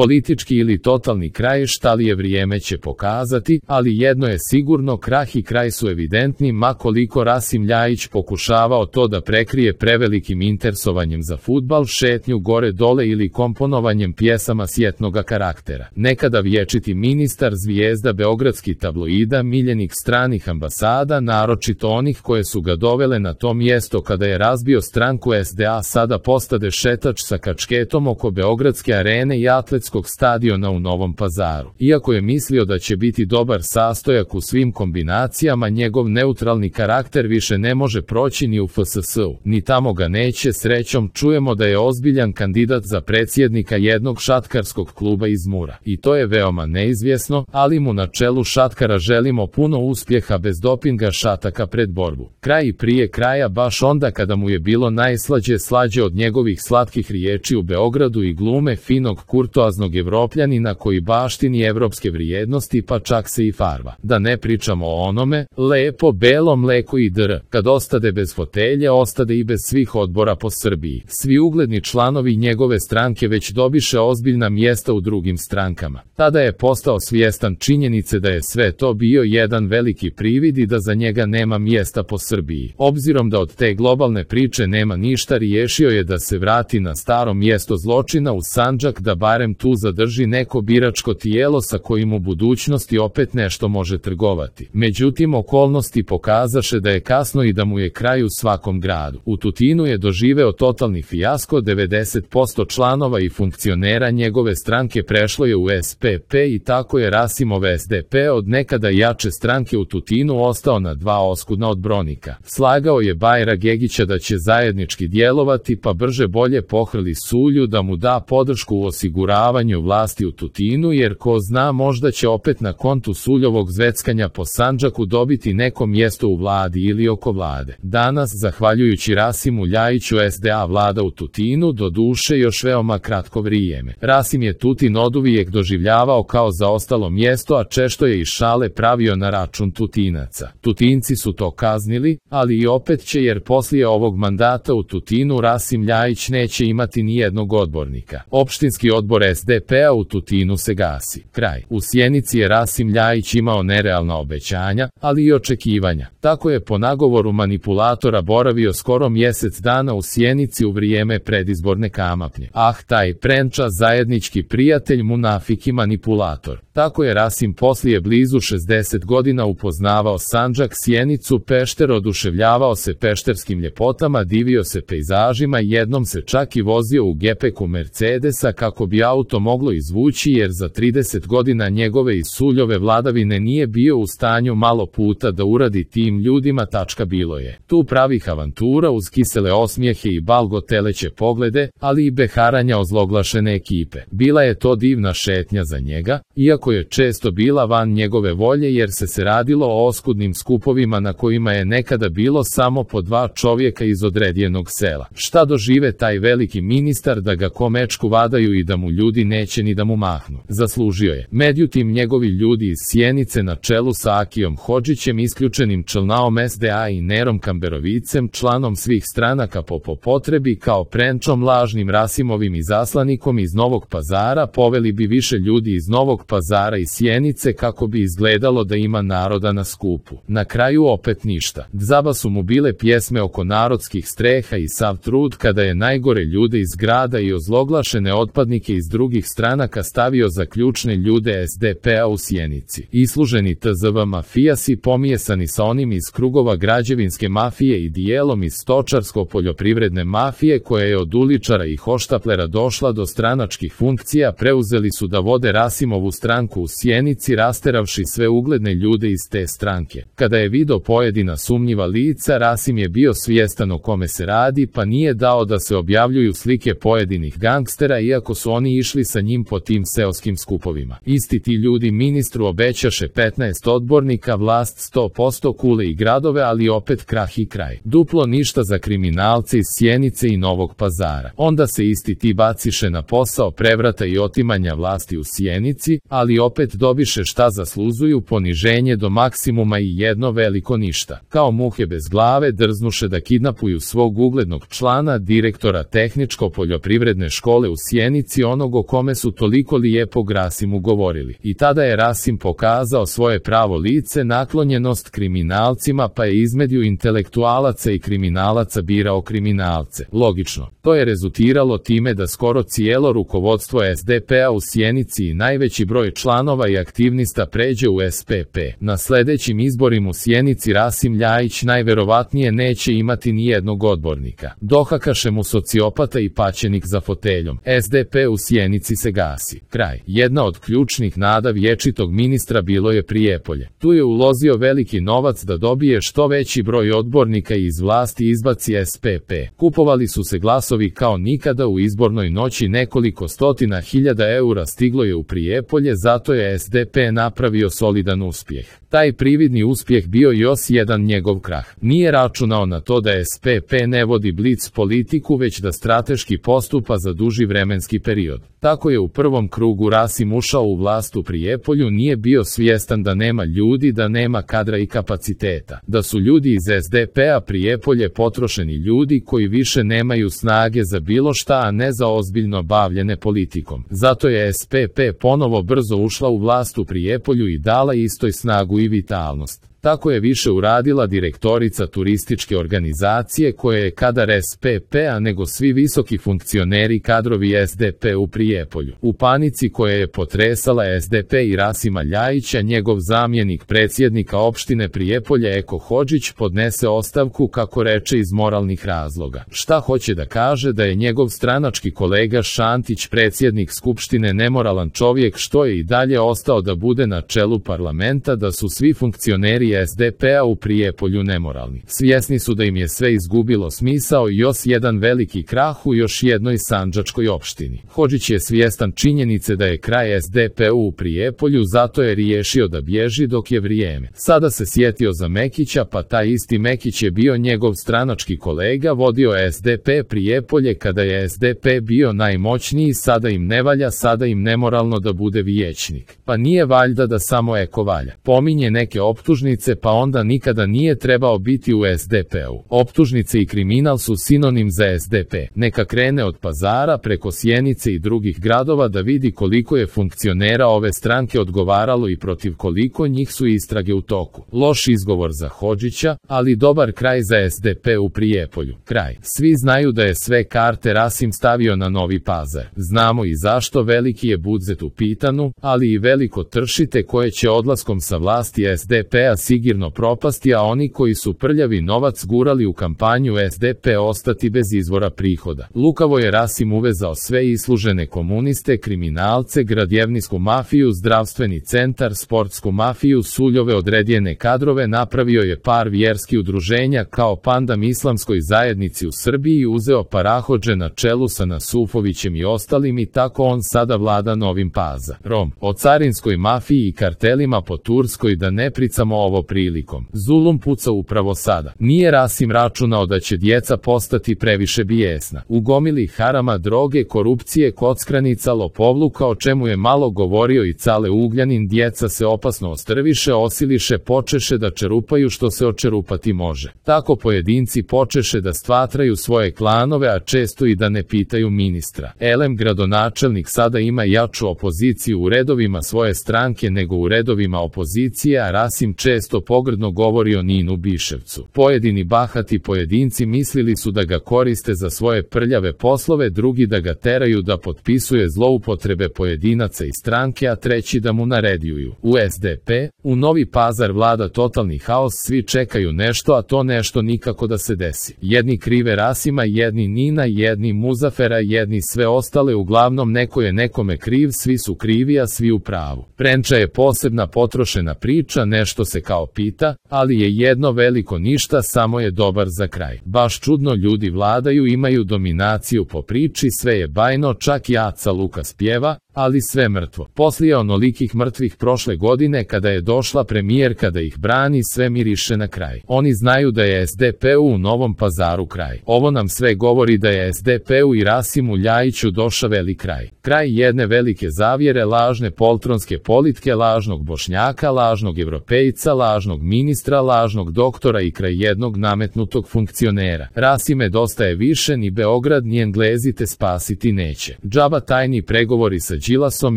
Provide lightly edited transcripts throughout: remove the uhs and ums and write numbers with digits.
Politički ili totalni kraj, šta li je vrijeme će pokazati, ali jedno je sigurno, krah i kraj su evidentni, ma koliko Rasim Ljajić pokušavao to da prekrije prevelikim interesovanjem za fudbal, šetnju gore dole ili komponovanjem pjesama sjetnoga karaktera. Nekada vječiti ministar, zvijezda beogradskih tabloida, miljenik stranih ambasada, naročito onih koje su ga dovele na to mjesto kada je razbio stranku SDA, sada postade šetač sa kačketom oko Beogradske arene i atletskog stadiona u Novom Pazaru. Iako je mislio da će biti dobar sastojak u svim kombinacijama, njegov neutralni karakter više ne može proći ni u FSS-u, ni tamo ga neće. Srećom čujemo da je ozbiljan kandidat za predsjednika jednog šatkarskog kluba iz Mura. I to je veoma neizvjesno, ali mu na čelu šatkara želimo puno uspjeha bez dopinga šataka pred borbu. Kraj i prije kraja, baš onda kada mu je bilo najslađe, slađe od njegovih slatkih riječi u Beogradu i glume finog kurtoaznog Evropljanina koji baštini evropske vrijednosti, pa čak se i farba. Da ne pričamo o onome, lepo belo mleko i dr. Kad ostade bez fotelje, ostade i bez svih odbora po Srbiji. Svi ugledni članovi njegove stranke već dobiše ozbiljna mjesta u drugim strankama. Tada je postao svjestan činjenice da je sve to bio jedan veliki privid i da za njega nema mjesta po Srbiji. Obzirom da od te globalne priče nema ništa, riješio je da se vrati na staro mjesto zločina u Sandžak, da barem tu zadrži neko biračko tijelo sa kojim u budućnosti opet nešto može trgovati. Međutim, okolnosti pokazaše da je kasno i da mu je kraj u svakom gradu. U Tutinu je doživeo totalni fijasko, 90% članova i funkcionera njegove stranke prešlo je u SPP i tako je Rasimov SDP od nekada jače stranke u Tutinu ostao na dva oskudna odbronika. Slagao je Bajra Gegića da će zajednički djelovati, pa brže bolje pohrli Sulju da mu da podršku u osiguravanju vlasti u Tutinu, jer ko zna, možda će opet na kontu Suljovog zveckanja po Sandžaku dobiti neko mjesto u vladi ili oko vlade. Danas, zahvaljujući Rasimu Ljajiću, SDA vlada u Tutinu, do duše još veoma kratko vrijeme. Rasim je Tutin oduvijek doživljavao kao zaostalo mjesto, a često je i šale pravio na račun Tutinaca. Tutinci su to kaznili, ali i opet će, jer poslije ovog mandata u Tutinu Rasim Ljajić neće imati ni jednog odbornika. Opštinski odbor SDP-a u Tutinu se gasi. Kraj. U Sjenici je Rasim Ljajić imao nerealna obećanja, ali i očekivanja. Tako je po nagovoru manipulatora boravio skoro mjesec dana u Sjenici u vrijeme predizborne kampanje. Taj Prenča, zajednički prijatelj, munafik i manipulator. Tako je Rasim poslije blizu 60 godina upoznavao Sandžak, Sjenicu, Pešter, oduševljavao se pešterskim ljepotama, divio se pejzažima, jednom se čak i vozio u gepeku Mercedesa kako bi auto moglo izvući, jer za 30 godina njegove i Suljove vladavine nije bio u stanju malo puta da uradi tim ljudima. Bilo je tu pravih avantura uz kisele osmijehe i balgoteleće poglede, ali i beharanja ozloglašene ekipe. Bila je to divna šetnja za njega, iako je često bila van njegove volje, jer se radilo o oskudnim skupovima na kojima je nekada bilo samo po dva čovjeka iz odredijenog sela. Šta dožive taj veliki ministar da ga ko mečku vadaju i da mu ljudi neće ni da mu mahnu? Zaslužio je. Međutim, njegovi ljudi iz Sjenice na čelu sa Akijom Hodžićem, isključenim člnaom SDA i Nerom Kamberovicem, članom svih stranaka po potrebi, kao Prenčom, lažnim Rasimovim izaslanikom iz Novog Pazara, poveli bi više ljudi iz Novog Pazara i Sjenice kako bi izgledalo da ima naroda na skupu. Na kraju opet ništa. Dzaba su mu bile pjesme oko narodskih streha i sav trud kada je najgore ljude iz grada i ozloglašene otpadnike iz drugih stranaka stavio za ključne ljude SDP-a u Sjenici. Isluženi TZV mafijasi pomijesani sa onim iz krugova građevinske mafije i dijelom iz stočarsko-poljoprivredne mafije koja je od uličara i hoštaplera došla do stranačkih funkcija, preuzeli su da vode Rasimovu stranku u Sjenici, rasteravši sve ugledne ljude iz te stranke. Kada je video pojedina sumnjiva lica, Rasim je bio svjestan o kome se radi, pa nije dao da se objavljuju slike pojedinih gangstera, iako su oni išli sa njim po tim seoskim skupovima. Isti ti ljudi ministru obećaše 15 odbornika, vlast 100%, kule i gradove, ali opet krah i kraj. Duplo ništa za kriminalce iz Sjenice i Novog Pazara. Onda se isti ti baciše na posao prevrata i otimanja vlasti u Sjenici, ali opet dobiše šta zasluzuju, poniženje do maksimuma i jedno veliko ništa. Kao muhe bez glave drznuše da kidnapuju svog uglednog člana, direktora tehničko-poljoprivredne škole u Sjenici, onog o kome su toliko lijepog Rasimu govorili. I tada je Rasim pokazao svoje pravo lice, naklonjenost kriminalcima, pa je između intelektualaca i kriminalaca birao kriminalce. Logično, to je rezultiralo time da skoro cijelo rukovodstvo SDP-a u Sjenici i najveći broj članova i aktivnista pređe u SPP. Na sljedećim izborima u Sjenici Rasim Ljajić najverovatnije neće imati ni jednog odbornika. Dohakaše mu sociopata i paćenik za foteljom. SDP u Sjenici se gasi. Kraj. Jedna od ključnih nada vječitog ministra bilo je Prijepolje. Tu je uložio veliki novac da dobije što veći broj odbornika i iz vlasti izbaci SPP. Kupovali su se glasovi kao nikada u izbornoj noći, nekoliko stotina hiljada eura stiglo je u Prijepolje, zato je SDP napravio solidan uspjeh. Taj prividni uspjeh bio još jedan njegov krah. Nije računao na to da SPP ne vodi blic politiku, već da strateški postupa za duži vremenski period. Tako je u prvom krugu Rasim ušao u vlast u Prijepolju, nije bio svjestan da nema ljudi, da nema kadra i kapaciteta. Da su ljudi iz SDP-a Prijepolje potrošeni ljudi koji više nemaju snage za bilo šta, a ne za ozbiljno bavljene politikom. Zato je SPP ponovo brzo ušla u vlast u Prijepolju i dala istoj snagu i vitalnost. Tako je više uradila direktorica turističke organizacije koja je kadar SPP-a nego svi visoki funkcioneri kadrovi SDP u Prijepolju. U panici koja je potresala SDP i Rasima Ljajića, njegov zamjenik predsjednika opštine Prijepolje Eko Hodžić podnese ostavku, kako reče, iz moralnih razloga. Šta hoće da kaže? Da je njegov stranački kolega Šantić, predsjednik skupštine, nemoralan čovjek što je i dalje ostao da bude na čelu parlamenta, da su svi funkcioneri SDP-a u Prijepolju nemoralni. Svjesni su da im je sve izgubilo smisao i još jedan veliki krah u još jednoj sandžačkoj opštini. Hodžić je svjestan činjenice da je kraj SDP-u u Prijepolju, zato je riješio da bježi dok je vrijeme. Sada se sjetio za Mekića, pa taj isti Mekić je bio njegov stranački kolega, vodio SDP Prijepolje kada je SDP bio najmoćniji, sada im ne valja, sada im nemoralno da bude vijećnik. Pa nije valjda da samo Eko valja. Pominje neke optužnice, pa onda nikada nije trebao biti u SDP-u. Optužnice i kriminal su sinonim za SDP. Neka krene od Pazara preko Sjenice i drugih gradova da vidi koliko je funkcionera ove stranke odgovaralo i protiv koliko njih su istrage u toku. Loš izgovor za Hodžića, ali dobar kraj za SDP u Prijepolju. Kraj. Svi znaju da je sve karte Rasim stavio na Novi Pazar. Znamo i zašto, veliki je budžet u pitanju, ali i veliko tršite koje će odlaskom sa vlasti SDP-a sigurno propasti, a oni koji su prljavi novac gurali u kampanju SDP ostati bez izvora prihoda. Lukavo je Rasim uvezao sve islužene komuniste, kriminalce, gradjevničku mafiju, zdravstveni centar, sportsku mafiju, suljove odredjene kadrove, napravio je par vjerskih udruženja kao pandam islamskoj zajednici u Srbiji, uzeo parahodže na čelu sa Nasufovićem i ostalim i tako on sada vlada Novim Pazarom. O carinskoj mafiji i kartelima po Turskoj da ne pričamo ovo prilikom. Zulum puca upravo sada. Nije Rasim računao da će djeca postati previše bijesna. U gomili harama, droge, korupcije, kockranica, lopovluka, o čemu je malo govorio i Cale Ugljanin, djeca se opasno ostrviše, osiliše, počeše da čerupaju što se očerupati može. Tako pojedinci počeše da stvatraju svoje klanove, a često i da ne pitaju ministra. Elem gradonačelnik sada ima jaču opoziciju u redovima svoje stranke nego u redovima opozicije, a Rasim često pogrdno govori o Ninu Biševcu. Pojedini bahati pojedinci mislili su da ga koriste za svoje prljave poslove, drugi da ga teraju da potpisuje zloupotrebe pojedinaca i stranke, a treći da mu naređuju. U SDP, u Novi Pazar vlada totalni haos, svi čekaju nešto, a to nešto nikako da se desi. Jedni krive Rasima, jedni Nina, jedni Muzafera, jedni sve ostale, uglavnom neko je nekome kriv, svi su krivi, a svi u pravu. Prenča je posebna potrošena priča, nešto se kao pita, ali je jedno veliko ništa, samo je dobar za kraj. Baš čudno, ljudi vladaju, imaju dominaciju po priči, sve je bajno, čak i Aca Lukas pjeva, ali sve mrtvo. Poslije onolikih mrtvih prošle godine kada je došla premijerka da ih brani, sve miriše na kraj. Oni znaju da je SDP-u u Novom Pazaru kraj. Ovo nam sve govori da je SDP-u i Rasimu Ljajiću došao velik kraj. Kraj jedne velike zavjere, lažne poltronske politike, lažnog Bošnjaka, lažnog Evropejca, lažnog ministra, lažnog doktora i kraj jednog nametnutog funkcionera. Rasime, dosta je više, ni Beograd ni Englezi te spasiti neće. Džaba tajni pregovori sa Đilasom,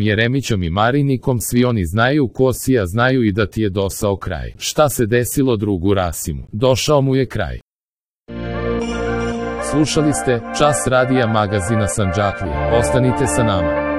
Jeremićom i Marinikom, svi oni znaju ko si, a znaju i da ti je dosao kraj. Šta se desilo drugu Rasimu? Došao mu je kraj. Slušali ste Čas radija magazina Sandžaklija. Ostanite sa nama.